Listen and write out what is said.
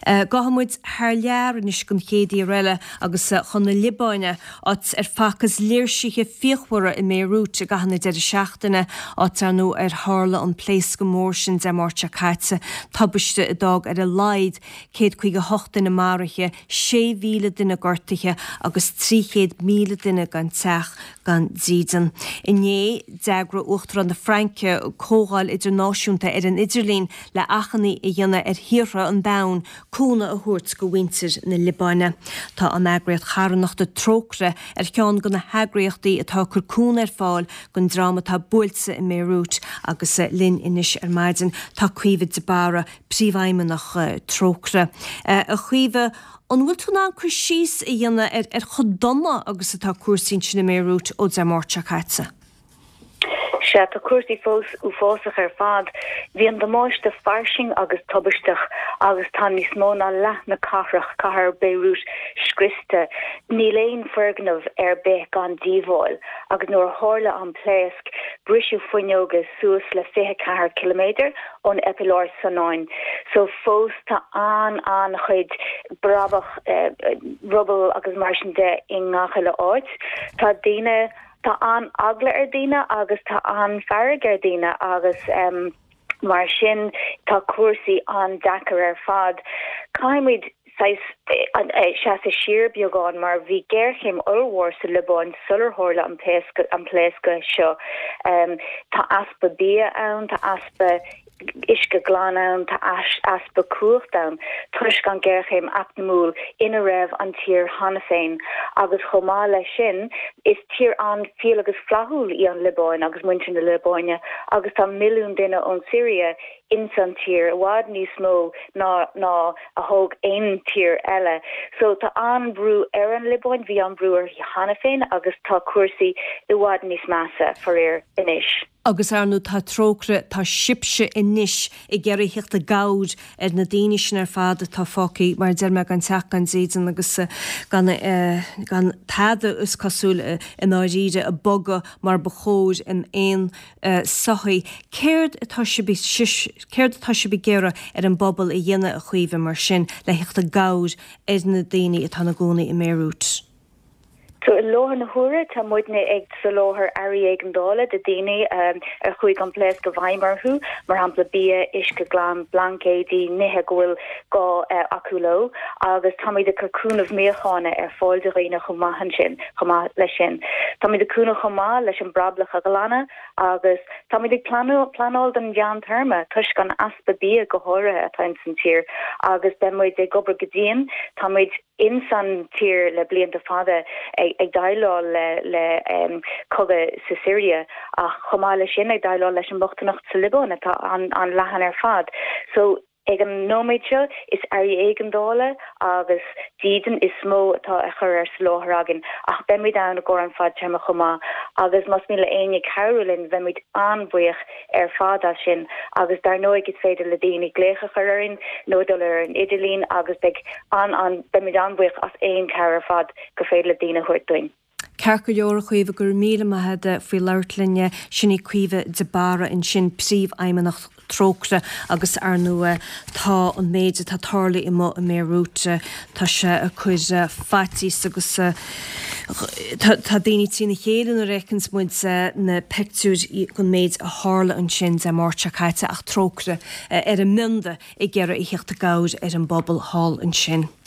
Gabhfaidh muid thar lear anois don chéad iarraidh eile agus chun na Liobáine, áit ar facthas léirsithe fíochmhara i mBéiriút i gcaitheamh na deireadh seachtaine, áit ar ndóigh ar tharla an pléascadh mór sin Dé Máirt seo caite, tubaiste a d'fhág ar a laghad 158 duine maraithe, 6,000 duine gortaithe agus 300,000 duine gan teach gan dídean. Inné, d'eagraigh Uachtarán na Fraince comhdháil idirnáisiúnta ar an idirlíon le achainí a dhéanamh ar thíortha an domhain cúnamh a thabhairt go mhuintir na Liobáine. Tá an eagraíocht charthanachta Trócaire ar cheann de na heagraíochtaí atá ag cur cúnamh ar fáil don dream atá buailte i mBéiriút agus linn anois ar maidin tá Caoimhe de Barra, Príomhfheidhmeannach Trócaire. A Chaoimhe, an bhfuil tú in ann cur síos a dhéanamh ar ar chomh dona agus atá cúrsaí ansin i mBéiriút ó Dé Máirt seo caite? Sea, tá cúrsaí fós uafásach ar fad. Bhí an damáiste fairsing agus tubaisteach agus tá níos mó ná leath na cathrach, cathair Beirut, scriosta. Níl aon foirgneamh ar bith gan díobháil agus nuair a tharla an pléasc, briseadh fuinneoga suas le 24 ciliméadar ón eipealár Sinai. So fós tá an-an-chuid brabach, ruball agus mar sin de i ngach uile áit. Tá daoine, tá an-eagla ar daoine agus tá an-fhearg ar daoine agus mar sin tá cúrsaí an-deacair ar fad. Caithfimid saghas seasamh siar beagán mar bhí géarchéim ollmhór sa Liobáin sular tharla an pléascadh seo. Tá easpa bia ann, tá easpa uisce glan ann, tá easpa cumhacht ann toisc an ghéarchéim eacnamúil ina raibh an tír cheana féin agus chomh maith leis sin is tír an-fhial agus flaithiúil í an Liobáin agus muintir na Liobáine agus tá milliún duine ón Siria ins an tír, i bhfad níos mó ná ná a thóg aon tír eile. So tá an-bhrú ar an Liobáin, bhí an-bhrú uirthi cheana féin agus tá cúrsaí i bhfad níos measa, faraor, anois. Agus ar ndóigh tá Trócaire, tá sibhse anois ag iarraidh theacht i gcabhair ar na daoine sin ar fad atá fágtha, mar a deir mé, gan teach gan dídean agus gan gan tada is cosúil i ndáiríre ag bogadh mar ba chóir in aon sochaí. Céard atá sibh céard atá sibh ag iarraidh ar an bpobal a dhéanamh, a Chaoimhe, mar sin, le theacht i gcabhair ar na daoine atá ina gcónaí i mBéiriút? So, i láthair na huaire, tá muidne ag soláthar earraí éigeandála do daoine ar chuaigh an pléasc i bhfeidhm orthu, mar shampla bia, uisce glan, blaincéidí, nithe go bhfuil gá acu leo, agus táimid ag cur cúnamh míocháine ar fáil do dhaoine chomh maith ansin. Chomh maith leis sin, táimid ag cúnamh chomh maith leis an brablach a ghlanadh agus táimid ag pleanáil don mheántéarma toisc an easpa bia go háirithe atá ins an tír agus beidh muid ag obair go dian. Táimid ins an tír le blianta fada ag déileáil le cogadh sa Siria ach chomh maith leis sin ag déileáil leis an mbochtaineacht sa Liobáin atá an-leathan ar fad. So. Ag an nóiméad seo, is earraí éigeandála agus dídean is mó atá á chur ar soláthar againn, ach beimid ann i gcomhair an fadtéarma chomh maith, agus más mian le éinne cabhrú linn, bheimid an-bhuíoch ar fad as sin, agus dar ndóigh is féidir le daoine glaoch a chur orainn nó dul ar an idirlíon agus beidh an-an beimid an-bhuíoch as aon chabhair ar fad gur féidir le daoine a thabhairt dúinn. Ceart go leor, a Chaoimhe, go raibh míle maith agat faoi labhairt linn. Sin í Caoimhe de Barra ansin, Príomhfheidhmeannach Trócaire agus ar ndóigh tá an méid atá tarlaithe amuigh i mBéiriút, tá sé ag cur faitíos agus tá daoine trína chéile nuair a fheiceanns muid na pictiúir den méid a tharla ansin Dé Máirt seo caite ach Trócaire ar a mbionda ag iarraidh a theacht i gcabhair ar an bpobal thall ansin.